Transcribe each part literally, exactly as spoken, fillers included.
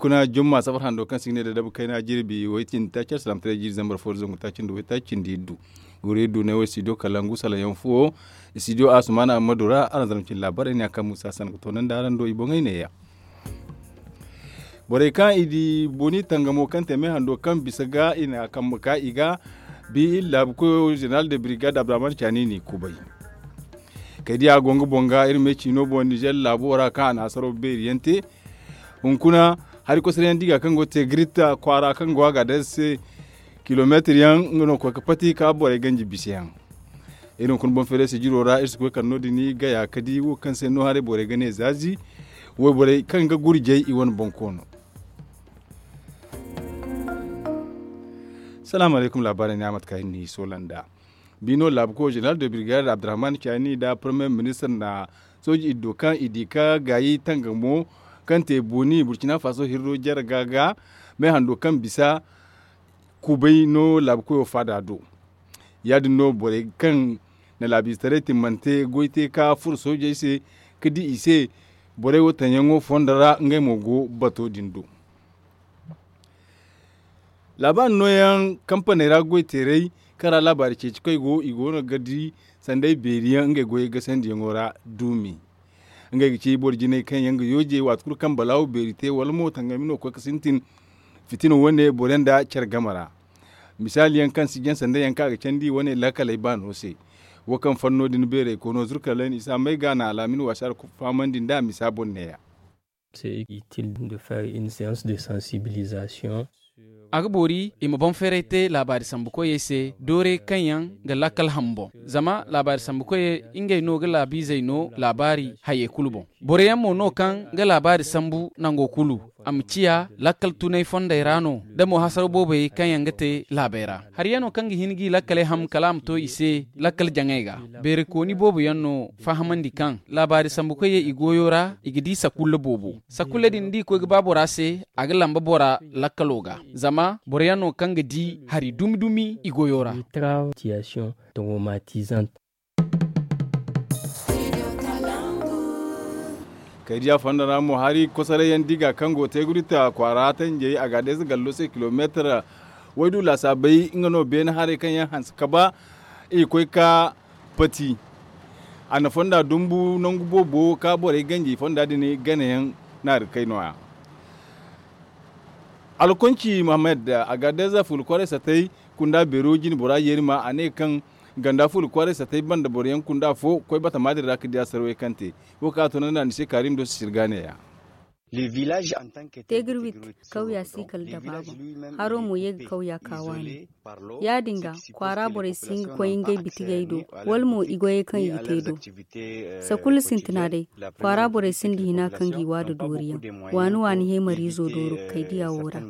Kuna jumma safar hando kaŋ se i ga ne da dabu kayna jirbi way cindi taaci alsalam taray jiiri zambar fo da zangu taaci nda way taaci nda iddu. Goro iddu ne wo studio kalangu salaŋ yaŋ fuwo. Studio asumana ammadu ra araŋ zama cindi laabaarey ne a kaŋ musa san ga toonandi araŋ do i boŋey neeya. Borey kaŋ i di boni tangamo kaŋ te me hando kaŋ bisa ga i na kambe ka i ga bi iri laabu koyo zeneral de birigad abdurahman cani n'i kubay. Kay di a go nga boŋ ga iri me ciino boŋ nizer laabo ra kaŋ a na hasaro beeri yaŋ te. Hunkuna hari kosoro yaŋ di ga kaŋ go te giritta kwaara kaŋ go a ga day se kilomeetir yaŋ nga no koy ga pati ka borey ganji bisa yaŋ. Iri hunkuna boŋ feeray sijiro ra iri si koy kala no- din gaya ka di wo kaŋ se no haray borey ga ne zaazi. Wayborey kaŋ ga gurjay i wane boŋ koono. Salaamu alaykum laabaarey ne a mate kaŋ ay na ni soola nd'a. Bino laabuko zeneral de birigade abdurahman cani nda premier ministre na sooji iddo kaŋ i di ka gaayi tangamo kaŋ te boni burkina faso hirro jarga ga me hando kaŋ bisa kubay no laabukoyo faada do. Ya- din no borey kaŋ na laabiizetaray timmante goy te ka furo soojey se ka di i se borey wo taŋyaŋo fondo ra ngey mo go bato din do. Laabaari nooyaŋ kampaney ra goy-teerey kaŋ ra laabaari ceeci koy go i go no ga di sanday beeri yaŋ ngey goyey gasandiyaŋo ra duumi. Ngey ga ci boro jinay kaŋ yaŋ ga yooje waati kulu kaŋ balaawo beeri te wala mo tangami no koy ga sintin fitina wane boro yaŋ nda care game ra. Misaali yaŋ kaŋ si jaŋ sanday yaŋ kaŋ a ga candi wane laakaley baano se. Wo kaŋ fanno din beerey koono zurkalayn isa may ga na alaamin wasaara fahamandi nd'a misa boŋ neeya. C'est utile de faire une séance de sensibilisation. A ga boori i ma boŋ feeray te laabaari sambu koyey se doorey kaŋ yaŋ ga lakkal ham boŋ. Zama laabaari sambu koyey ngey no ga laabiizey no laabaari hayey kulu boŋ. Boro yaŋ mo no kaŋ ga laabaari sambu nango kulu a ma ciya lakkal tunay fondey ra no da mo hasaraw boobey kaŋ yaŋ ga te laabey ra. Hari yaŋ no kaŋ ga hin g'i lakkaley ham kala a ma to i se lakkal jaŋey ga. Beerikooni boobo yaŋ no fahamandi kaŋ laabaari sambu koyey i goyo ra i ga di sakulla boobo. Sakulla din da i koy ga ba bora se a ga lamba bora lakkalo ga. Zama boro yaŋ no kaŋ ga di hari dumi dumi i goyo ra. Kay diya fonda ra mo hari kosoray yaŋ diga kaŋ go teeguri ta kwaara tanjey a ga deeza gallo se kilomeetar waydu laasaabey nga no beene haray kaŋ yaŋ hanse ka ba i koy ka pati. A na fonda dumbu nangu boobo ka borey ganji fonda din ganayaŋ naari kay nooya. Alkonci muhammad a ga deeza fulu kwaray satay kunda beero jine bora yeeri ma a ne kaŋ ganda fulu kwaray satay banda boro yaŋ kunda fo koy batama din ra ga di a sarwey kaŋ te. Wo kaŋ a tunandi a ni se kaari ma do sisiri ga neeya. Teegir wit kawya si kala dabaaba. Haro mo ye ga kawya ka waani. Ya- din ga kwaara borey si hin ga koy ngey bitigey do wala mo i goyey kaŋ i ga te do. Sakulla sintina day kwaara borey sinda hina kaŋ g'i wa da dooriyaŋ. Waani waani heemariizo dooru ga kay diya wo ra.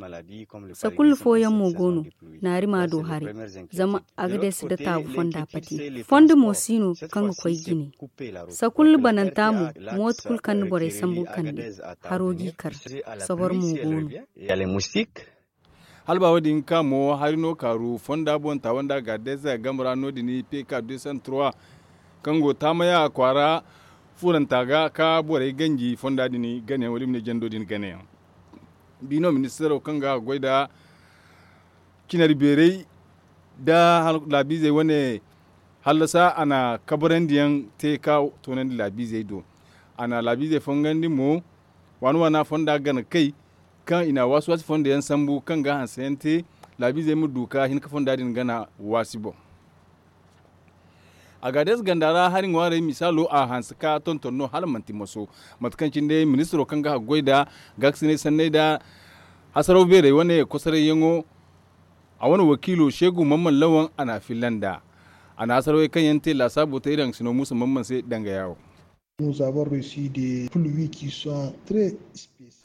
Sakulla fooyaŋ mo go no naari ma do haray. Zama a ga deesi da taabu fonda pati fondo mo si no kaŋ ga koy jine. Sakulla bananta mo mooto kulu kaŋ na borey sambu kande haro g'i kar. Sabar mo go no. Hala ba wo- din ka mo hari no kaaru fonda boŋ taawanda ga deeza game ra no- din pk deux cent trois kaŋ go taamaya kwaara furanta ga ka borey ganji fonda din ganayaŋ wala i ma ne jando din ganayaŋ. Bino ministaro kaŋ ga goy nda cinari beeray nda laabiizey wane hallasa a na kabarandiyaŋ te ka toonandi laabiizey do. A na laabiizey fongandi mo waani waana fonda gana kay kaŋ i na waasi waasi fondo yaŋ sambu kaŋ ga hanse yaŋ te laabiizey ma du ka hin ka fonda din gana waasi boŋ. A ga deeza ganda ra hari ŋwaarey misaalo a hanse ka tonton no hala manti moso mate kaŋ cine ministiro kaŋ ga haggoy nda gaakasinay sanney nda hasaraw beerey wane kosorayyaŋo. A wane wakiilo seegu mamman lawan a na a filla nd'a. A na hasarawey kaŋ yaŋ te laasaabo te iri haŋ sino muusa mamman se danga yaawo.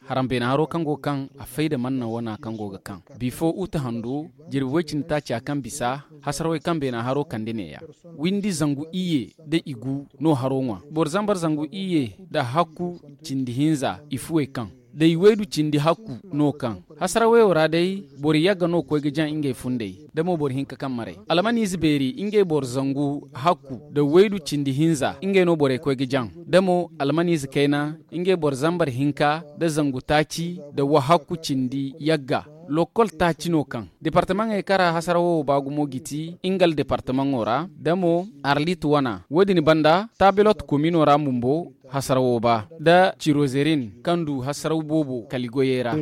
Haraŋ beena haro kaŋ go ga kaŋ a fay da manna wana kaŋ go ga kaŋ bifo uta hando jirbi way cindi taaca kaŋ bisa hasarawey kaŋ beena haro kande neeya. Windi zangu iyye da i gu no haro ŋwa boro zambar zangu iyye da hakku cindi hinza i fuwey kaŋ day waydu cindi hakku no kaŋ hasara wayo ra day boro yagga no ga koy ga jaŋ ngey fundey da mo boro hinka kaŋ maray almaniize beeri ngey boro zangu hakku da waydu cindi hinza ngey no borey koy ga jaŋ da mo almaniize kayna ngey boro zambar hinka da zangu taaci da wahakku cindi yagga. Lokkol taaci no kaŋ departamaŋey kaŋ ra hasara wo ba gumo ga ti ngal departamaŋo ra da mo arlit wana wo- din banda tabilot komino ra bumbo hasara wo ba da cirozerin kaŋ du hasara boobo kaligoyey ra.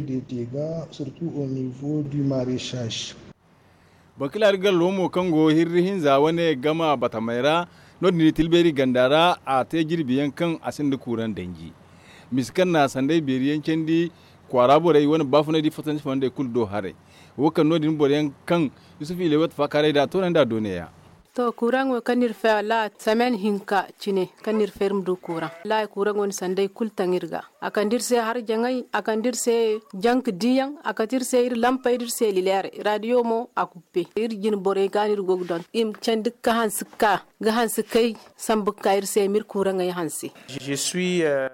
Bankilari gallo mo kaŋ go hirri hinza wane gama batamey ra no- din tilbeeri ganda ra a te jirbi yaŋ kaŋ a sinda kuuraŋ danji misa kaŋ na sanday beeri yaŋ candi kwaara borey wane baafunay da i fatansi fondey kulu do haray. Wo kaŋ no- din boro yaŋ kaŋ yusuf ilewat faakaaray da a toonandi a do neeya. To kuuraŋo kaŋ no iri fay wallaahi semen hinka cine kaŋ no iri fay iri ma du kuuraŋ wallaahi kuuraŋo na sanday kulu taŋ iri ga a kande iri se harjaŋey a kande iri se janka diiyaŋ a kate iri se iri lampey nda iri se lileerey raadiyo mo a kuppe iri jine borey ga no iri go ga donton i ma candi ga hanse ga ka ga hanse kay sambu ga ka iri se ma iri kuuraŋey hanse.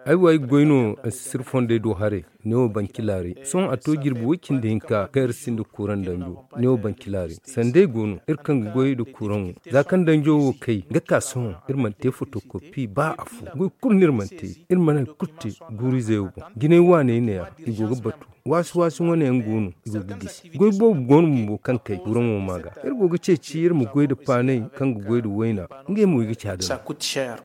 Ay wo ay ga goy no ansisir fondey do haray. Neewo bancilaaray sohõ a to jirbi way cindi hinka kaŋ iri sinda kuuraŋ danjo. Neewo bancilaaray sanday go no iri kaŋ ga goy nda kuuraŋo za kaŋ danjo wo kay ga ka sohõ iri mana te fotokopi ba afo goy kulu no iri mana te. Iri mana hari kulu te guuru-izey wo boŋ jinay waaney neeya i go ga batu waasi-waasi wane yaŋ go no i go ga gisi goy boobo go no bumbo kaŋ kay kuuraŋo ma ga iri go ga ceeci iri ma goy nda paanay kaŋ ga goy nda wayna ngey mo i ga caada no.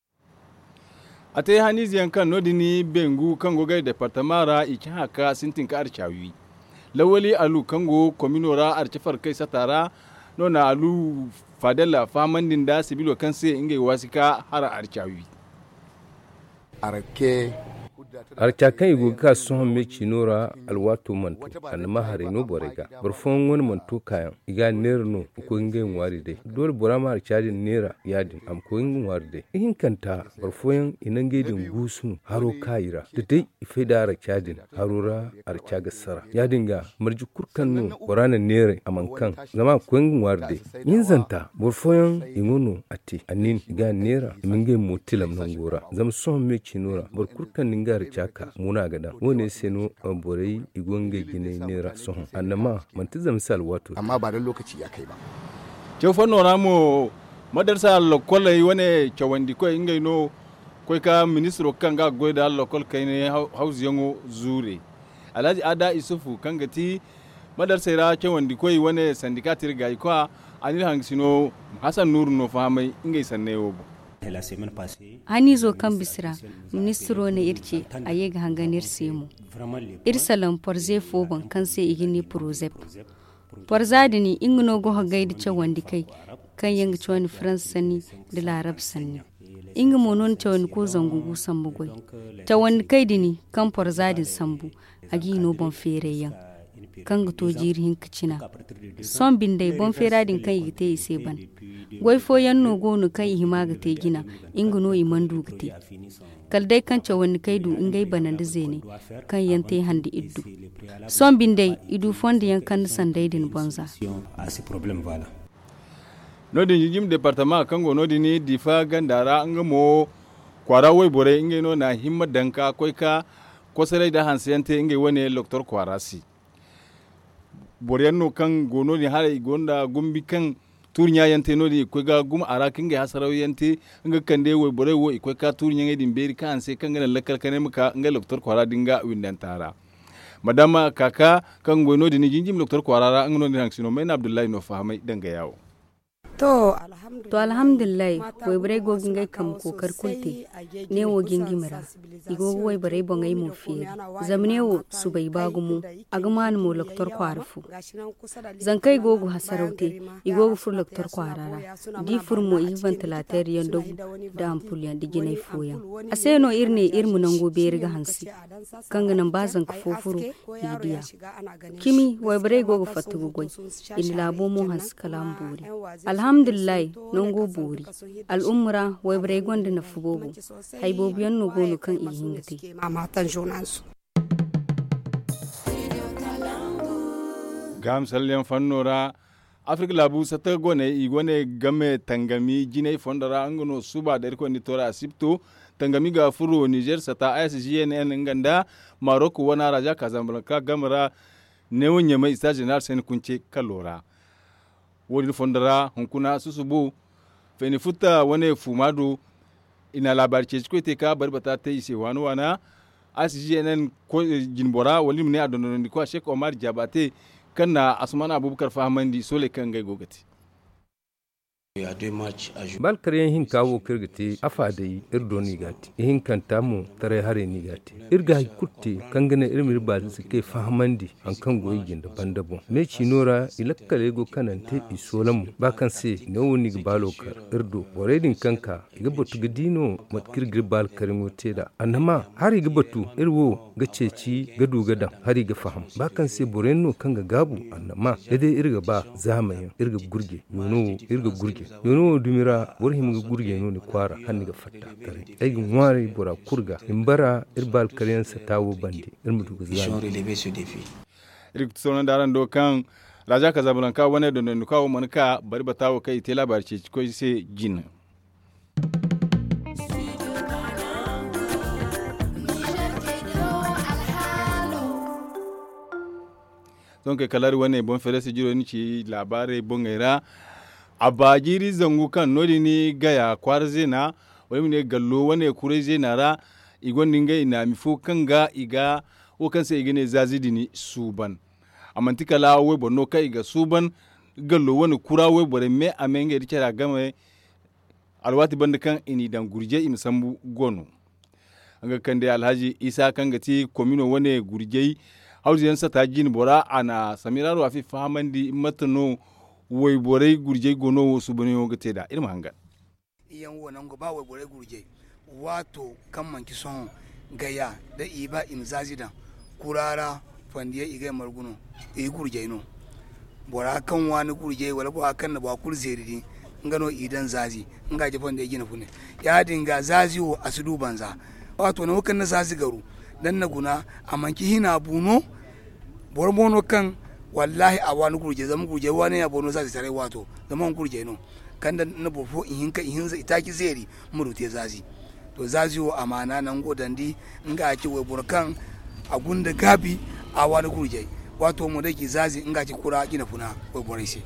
A te haniize yaŋ kaŋ no- din bengu kaŋ go ga ay departama ra i cahã ka sintin ka arca wi lawali alu kaŋ go komino ra arca farkay sata ra no na alu fadalla fahamandi nda sibilo kaŋ se ngey waasi ka hara arca wi. Arca kaŋ i go ga ka sohõ me ciino ra alwaato mana to a na ma haray no borey ga boro fooyaŋ wane mana to kaayaŋ i ga a neera no ga koy ga ngey ŋwaari day doole bora ma arca din neera ya- din a ma koy ga ŋwaari day ihinkanta boro fooyaŋ i na ngey din guusu no haro kaayi ra da day i fay nda arca din haro ra arca ga sara ya- din ga marje kulu kaŋ no bora na neeray a mana kaŋ zama a ga koy ga ŋwaari day. Hinzanta boro fooyaŋ i go no a te a nin i ga a neera i ma ngey mo tilam nango ra zama sohõ me ciino ra boro kulu kaŋ na nga arca ka mo no a ga daŋ wo- ne se no borey i go ngey jinay neera sohõ annama manti zama se alwaato. Amma ba da lokaci ya kay ba. Caw fanno ra mo madarsa lokkoley wane cawandikoy ngey no koy ka ministiro kaŋ ga goy da lokkol kayne hawzuyaŋo zuure alhaji ada isufu kaŋ ga ti madarsey ra cawandikoy wane sandika tirgaykoy a n'iri hangasino hasan nuuru no fahamay ngey sanney wo boŋ. Haniizo kaŋ bisa ra ministiro ne iri ce a ye ga hangan iri se mo. Iri salaŋ porze fo boŋ kaŋ se i ga ne porozep porza din nga no ga hogay nda cawandi kay kaŋ yaŋ ga cawandi faransa sanni nda laarab sanni. Nga mo no na cawandi ko zangu gu sambu goy cawandi kay din kaŋ porza din sambu a ga hino boŋ feeray yaŋ kaŋ ga to jiiri hinka cina. Sohõ bindey boŋ feera din kaŋ i ga te i se ban goy fooyaŋ no go no kaŋ i hima ga te jina nga no i mana du ga te. Kala day kaŋ cawandi kay du ngey bana nda zeeney kaŋ yaŋ te hande iri du. Sohõ bindey i du fondo yaŋ kaŋ na sanday din bonza. No- din jinjim departama kaŋ go no- din difa ganda ra nga mo kwaara wayborey ngey no na himma daŋ ka koy ka kosoray nda hanse yaŋ te ngey wane loktor kwaara se. Boro yaŋ no kaŋ go no- din haray i gonda gumbi kaŋ tuuri ɲa yaŋ te no- din i ga koy ga gumo a ra ka ngey hasaraw yaŋ te nga ga kande wayborey wo i koy ka tuuri ɲaŋey din beeri kaŋ hanse kaŋ ga naŋ lakkal kanay ma ka ngey loktor kwaara din ga windanta ra. Madama kaka kaŋ ga goy no- din jinjim loktor kwaara ra nga no- din hangasino mayna abdullahi no fahamay danga yaawo. To alhamdulillahi wayborey go ga ngey kambe kookari kulu te. Neewo jingimi ra i go ga wayborey boŋey mo feeri. Zama neewo subay ba gumo a ga maanu mo loktor kwaara fo. Zankey go ga hasaraw te i go ga furo loktor kwaara ra. Da i furo mo i ga vantilateer yaŋ dagu nda ampul yaŋ nda jinay fooyaŋ. A se no iri ne iri ma nango beeri ga hanse kaŋ ga naŋ ba zanka fo furo i ga diya. Cimi wayborey go ga fatta ga goy. I na laabo mo hanse kala a ma boori. Alhamdulillahi, nango boori. Al'umma ra wayborey gonda nafa boobo. Hari boobo yaŋ no go no kaŋ i ga hin ga te. Gaaham salleyaŋ fanno ra afirka laabu satta goney i wane game tangami jinay fondo ra nga no suba da irkoy ni toora asibto. Tangami ga furo nizer sata a s g n n nga nda marok wana raza kazanblanka game ra. Neewo ɲamay ista zeneral sene kunce kalo ra. Wo-din fondo ra hunkuna susubo feni futta wane fuuma do. I na laabaari ceeci koy te ka bari bata te i se waana waana. A s g n n jinbora wala i ma ne a dondonandi koy a sheek omar jaaba te kaŋ na asuman abubakar fahamandi sooley kaŋ ngey go ga te. Ba alkaryaŋ hinka wo kaŋ iri ga te afa day iri do no i ga a te. Ihinkanta mo taray haray no i ga a te. Iri ga hari kulu te kaŋ ga naŋ iri ma iri baazey se kay fahamandi hari kaŋ go i jinde banda boŋ me ciino ra i lakkaley go kanante i soola mo ba kaŋ se neewo no i ga baalo kar iri do borey din kaŋ ka i ga batu ga di no mate kaŋ iri ga iri baalo karyaŋo te nd'a annama hari ga batu iri wo ga ceeci ga du ga daŋ hari ga faham ba kaŋ se boro yaŋ no kaŋ ga gaabu annama da day iri ga ba zaama yaŋ iri ga gurje. Yoono wo iri ga gurje yoono wo dumi ra boro hima ga gurje no ni kwaara hala ni ga fatta taray ay ga ŋwaaray bora kulu ga i ma bara iri ba alkaryaŋ sata wo bande iri ma du ga zaama. Iri ga sohõ nda araŋ do kaŋ raza kazablanka wane dondonduka wo mana ka bari bata wo kaŋ i te laabaari ceeci koy se jine. Sohõ kay kala hari wane boŋ feere sijiro ni ci laabaarey boŋey ra. A ba jiiri zangu kaŋ no- din gaya kwaara zeena wala i ma ne gallo wane kuray zeena ra. I gonda ngey naami fo kaŋ ga i ga wo kaŋ se i ga ne zaazi din suuban. A manti kala wayboro no kaŋ i ga suuban gallo wane kura wayborey me a me ngey nda care a game. Alwaati banda kaŋ i n'i daŋ gurjey i ma sambu go no. Nga ga kande alhazi isa kaŋ ga ti komino wane gurjey hawzu yaŋ sata jine bora a na samiraaro a fi fahamandi mate no wayborey gurjey go no wo suubanyaŋo ga te nd'a iri ma hangan. Iyaŋ wo nangu ba wayborey gurjey waato kaŋ manci sohõ gaya da i ba i ma zaazi daŋ kura ra. Fandiyey i ga ay margu no i gurjey no. Bora kaŋ waani gurjey wala bora kaŋ na bora kulu zeeri din nga no i daŋ zaazi nga ga ci fandiyey jine fune. Ya- din ga zaazi wo a si du banza. Waato nangu kaŋ ni na zaazi garu da ni na guna a manci hina bu no. Boro mo no kaŋ wallahi a waani gurjey zama gurjey waani ya boro no zaazi taray waato zama wani gurjey no kaŋ da ni na boro fo ihinka ihinza itaaci zeeri ma du te zaazi. To zaazi wo amaana nango dandi nga a ci wayboro kaŋ a gunda gaabi a waani gurjey. Waato mo day ci zaazi nga a ci kura jine funa wayborey se.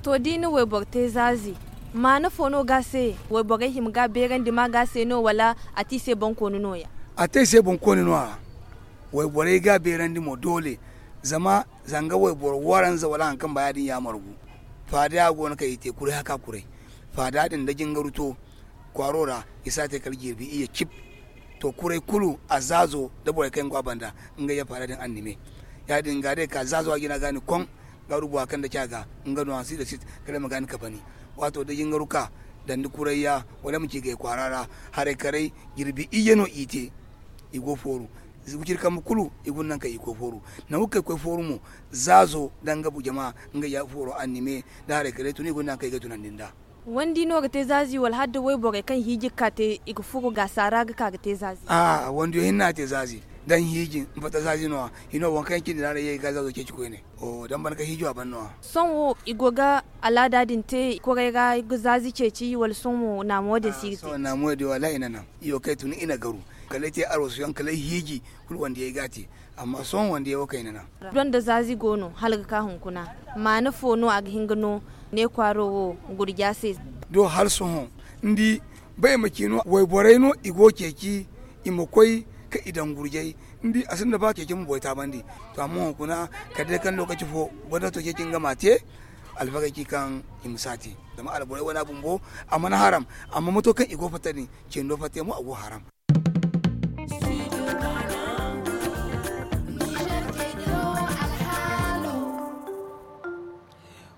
To da i na wayboro te zaazi maana fo no ga a se? Wayborey hima ga a beerandi ma ga a se no wala a te i se boŋkooni no- ya? A te i se boŋkooni no- ya. Wayborey ga a beerandi mo doole zama zanga wayboro waranza wala hari kaŋ ba ya- din ya margu. Faada ya go no kaŋ i te kuray haka kuray faada din da jingaru to kwaaro ra i si a te kala jirbi iyye cib. To kuray kulu a zaazo da borey kaŋ yaŋ go a banda ngey ya faada din annime. Ya- din ga day ka zaazo a jina ga ni koŋ ga rubu a kaŋ da ci a ga nga no a si da sit kala ay ma ga ni kabani. Waato da jingaru ka dandi kuray ya wala ay ma ci gay kwaara ra haray karay jirbi iyye no i te. I go fooru wiciri kambe kulu i guna naŋ kaŋ i koy fooru. Nangu kaŋ i koy fooru mo zaazo da nga bu jama nga ya fooro annime da haray kala i tun i guna naŋ kaŋ i ga tunandi nd'a. Wandi no ga te zaazi wala hala da wayborey kaŋ hiiji ga ka te i ga furo gaasa ra ga ka ga te zaazi? A'a wandiyo hinne a te zaazi. Daŋ hiiji mbatta zaazi no- ya hino waŋ kaŋ yaŋ cindi ra haray ye ga zaazo ceeci koyne. Oho daŋ ban ga hiijo a ban no- ya. Sohõ wo i go ga alaada din te kuray ra ga zaazi ceeci wala sohõ wo naamo din si ga te? Sohõ naamo din wallahi i na naŋ iyo kaŋ ay tun i na garu kala ay te aroosu yaŋ kala ay hiiji kulu wandiyey ga a te. Amma sohõ wandiyey wo kaŋ i na naŋ. Donda zaazi go no hala ga ka hunkuna maana fo no a ga hin ga no ne kwaaro wo gurja se? Do hala sohõ ni di ba ay ma ci no wayborey no i go ceeci i ma koy kaŋ i daŋ gurjay. Ni di a sinda ba ceeci ma boy taabandi. To amma hunkuna kala day kaŋ lokaci fo gonda to ceeci nga ma a te. Alfagey ci kaŋ i ma si a te zama alborey wane a bumbo a mana haram. Amma mato kaŋ i go fatta din cindo fatta yaŋ mo a go haram.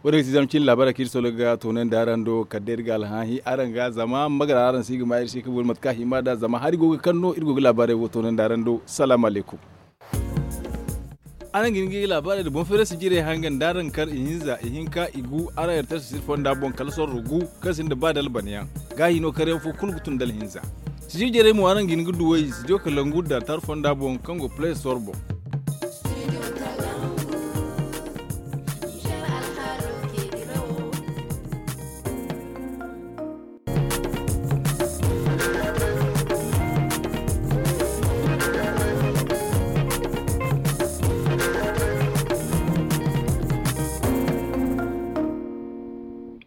Wo- din ga ti zama cine laabaarey kaŋ iri sologa ga toonandi araŋ do kala day iri ga alhããhi araŋ ga zama magara araŋ si ga ma iri se ga boori mate kaŋ a hima nd'a zama hari go ga kaŋ no iri go ga laabaarey wo toonandi araŋ do. Salaamu alaykum. Araŋ ga hin ga laabaarey nda boŋ feerasi jirey hangan da araŋ kar ihinza ihinka igu araŋ yartarsa sir fonda boŋ kala sorro gu kaŋ sinda ba dalbanayaŋ. Gaahi no karyaŋ fo kulu ga tun dalhinza. Sijir jarey mo araŋ ga hin ga duw'ey sijo kalangu da tar fonda boŋ kaŋ go play store boŋ.